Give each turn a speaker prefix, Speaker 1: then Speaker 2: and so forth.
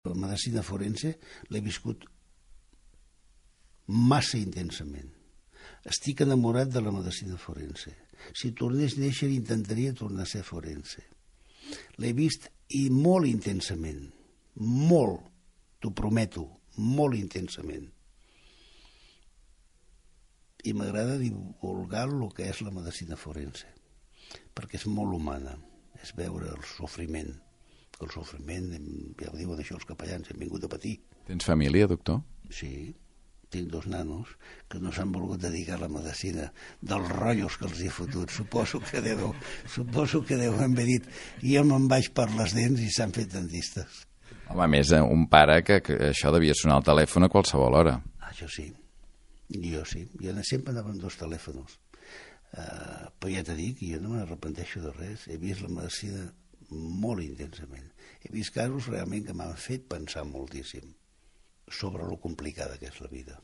Speaker 1: La medicina forense l'he viscut massa intensament. Estic enamorat de la medicina forense. Si tornés a néixer intentaria tornar a ser forense. L'he vist i molt intensament, molt, t'ho prometo, molt intensament. I m'agrada divulgar el que és la medicina forense, perquè és molt humana, és veure el sofriment. El sofriment, ja ho diuen això els capellans, hem vingut a patir.
Speaker 2: Tens família, doctor?
Speaker 1: Sí, tinc 2 nanos que no s'han volgut dedicar a la medicina dels rotllos que els he fotut. Suposo que deu haver dit jo me'n vaig per les dents i s'han fet dentistes.
Speaker 2: Home, a més, un pare que això devia sonar al telèfon a qualsevol hora.
Speaker 1: Això sí, jo sí. Jo sempre anava amb 2 telèfons. Però ja t'he dit que jo no m'arrepenteixo de res. He vist la medicina molt intensament. He vist casos realment que m'han fet pensar moltíssim sobre lo complicada que és la vida.